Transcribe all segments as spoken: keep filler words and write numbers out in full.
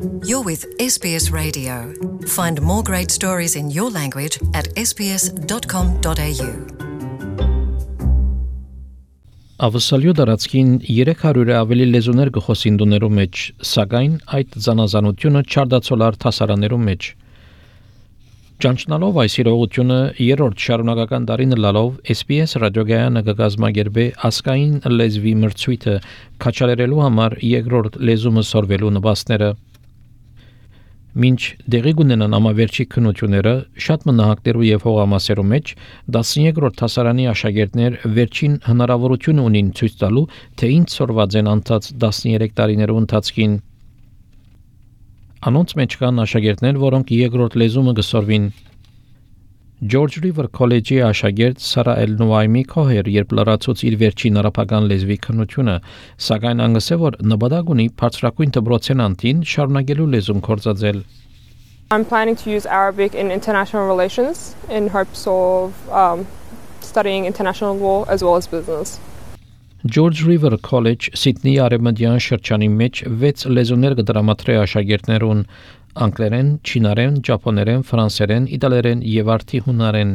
You're with S B S Radio. Find more great stories in your language at s b s dot com dot a u. Ավսալյո դարածքին երեք հարյուրը ավելի լեզուներ գխոսին դուներու մեջ, սակայն այդ զանազանությունը չարդացոլար թասարաներու մեջ։ Ճանչնալով այս իրողությունը երրորդ շարունակական դարին լալով S B S ռադիոգայանը կգազմագերբե ասկային լեզվի մրցույթը քաչալերելու համար երկրորդ լեզումը սորվելու նպաստները։ Մինչ դեղի գունենան ամավերջի քննությունները շատ մնահակներու եւ հողամասերու մեջ տասներորդ թասարանի աշակերտներ վերջին հնարավորություն ունին ցույց տալու թե ինչ սորված են անցած տասներեք տարիներու ընթացքին։ Անոնց մեջ կան աշակերտներ, որոնք երկրորդ լեզումը կսորվին։ George River College-ի աշակերտ Սարա Էլ-Նուայմի կոհեր երբ լրացուց իր վերջին արաբական լեզվի քննությունը, սակայն անգսե որ նպատակ ունի բարձրակույն դպրոցեն անտին շարունակելու լեզուն կործածել։ I'm planning to use Arabic in international relations in hopes of um, studying international law as well as business. George River College Sydney արևմտյան շրջանի մեջ վեց լեզուներ կդրամատրե աշակերտներուն անգլերեն, չինարեն, ճապոներեն, ֆրանսերեն, իտալերեն եւ արդի հունարեն։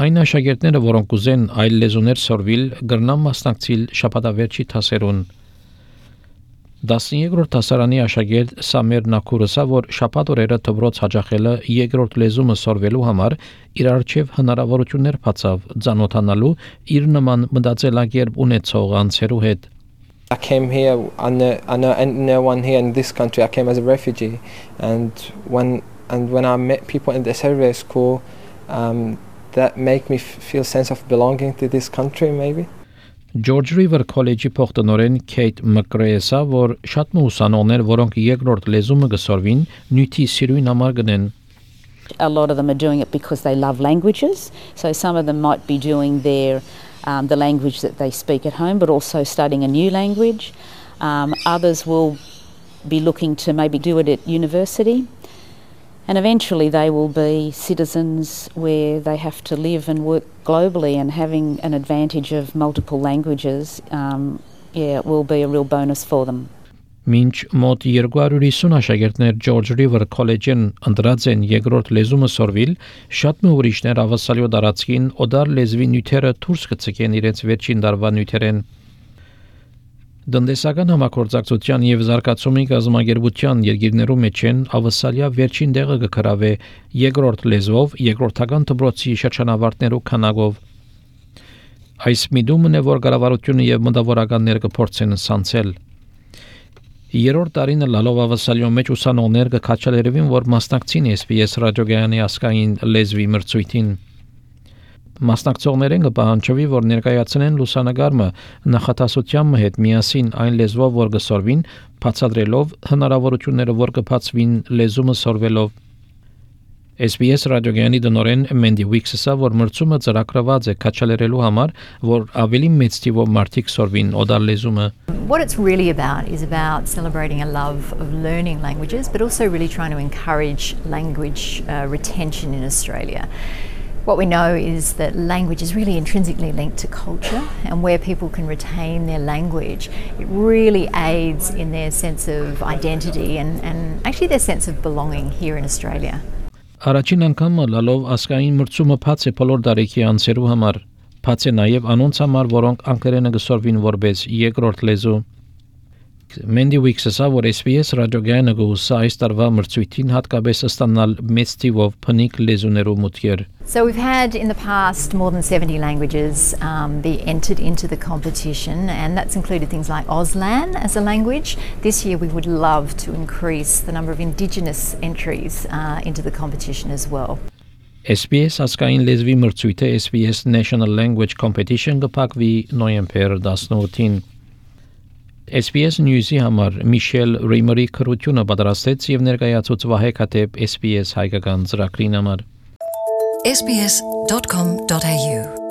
Այն աշակերտները, որոնք ուզեն այլ լեզուներ սորվիլ, գրնան մասնակցիլ շաբաթավերջի թասերուն։ տասներորդ թասարանի աշակերտ Սամեր Նաքուրսա, որ շաբաթ օրերը դպրոց հաջախելը երկրորդ լեզումը սորվելու համար իր արչև հնարավորություններ բացավ ծանոթանալու իր նման մտածելակերպ ունեցող անձերու հետ։ I came here, I know, I know no one here in this country. I came as a refugee, and when and when I met people in the Serbia school, um, that make me feel sense of belonging to this country, maybe. George River College-ի փոխտնօրեն Քեյթ Մկրեյսը, որ շատ ուսանողներ, որոնք երկրորդ լեզումը կսորվին, նյութի սիրույն համար գնեն։ A lot of them are doing it because they love languages, so some of them might be doing their Um, the language that they speak at home, but also studying a new language. Um, others will be looking to maybe do it at university. And eventually they will be citizens where they have to live and work globally, and having an advantage of multiple languages, um, yeah, it will be a real bonus for them. Մինչ մոտ երկու հարյուր հիսուն աշակերտներ George River College-ին ընտրած են երկրորդ լեզումը սորվիլ, շատ մի ուրիշներ ավասալյո դարածքին օդար լեզվի նյութերը դուրս կցկեն իրենց վերջին դարվա նյութերեն։ Դնդեսական համագործակցության եւ զարգացումի գազམ་ագերբության երկիրներու մեջ են ավասալյա վերջին դեղը կգրավե երկրորդ լեզվով, երկրորդական դպրոցի շրջանավարտներու քանակով։ Այս միտումն է, որ կառավարությունը եւ մտավորականները կփորձեն սանցել։ Երրորդ տարին լալով ավասալյո մեջ ուսանողներ կքաչալերևին, որ մասնակցին S B S ռադիոգայանի ասկային լեզվի մրցույթին։ Մասնակցողներեն կպահանջվի, որ ներկայացնեն լուսանգարը նախատասությամբ հետ միասին այն լեզվով, որ կսորվին, բացատրելով հնարավորությունները, որ կբացվին լեզումը սորվելով։ S B S ռադիոգայանի դնորեն Mandy Wicks-ը, որ մրցումը ծրագրված է քաչալերելու համար, որ ավելի մեծ թիվով մարդիկ սորվին օդար լեզումը։ What it's really about is about celebrating a love of learning languages, but also really trying to encourage language uh, retention in Australia. What we know is that language is really intrinsically linked to culture, and where people can retain their language, it really aids in their sense of identity and, and actually their sense of belonging here in Australia. Առաջին անգամ լալով ասկային մրցումը բաց է բոլոր դարիքի անձերու համար, բաց է նաև անոնց համար, որոնք անգլերենը կսորվին որպես երկրորդ լեզու։ Mandy Wicks-ը, որ S B S ռադիոգայանը գուսա այս տարվա մրցույթին հատկապես ստանալ մեծ թիվով փնիկ լեզուներու մուտքեր։ So we've had in the past more than seventy languages um, be entered into the competition, and that's included things like Auslan as a language. This year we would love to increase the number of Indigenous entries uh, into the competition as well. S B S ասկային լեզվի մրցույթը S B S National Language Competition կփակվի նոյեմբեր տասնութին։ S B S News-ի համար Միշել Ռեյմերի քրությունը պատրաստեց եւ ներկայացուց Վահե Քաթեփ S B S հայկական ծրագրին համար s b s dot com dot a u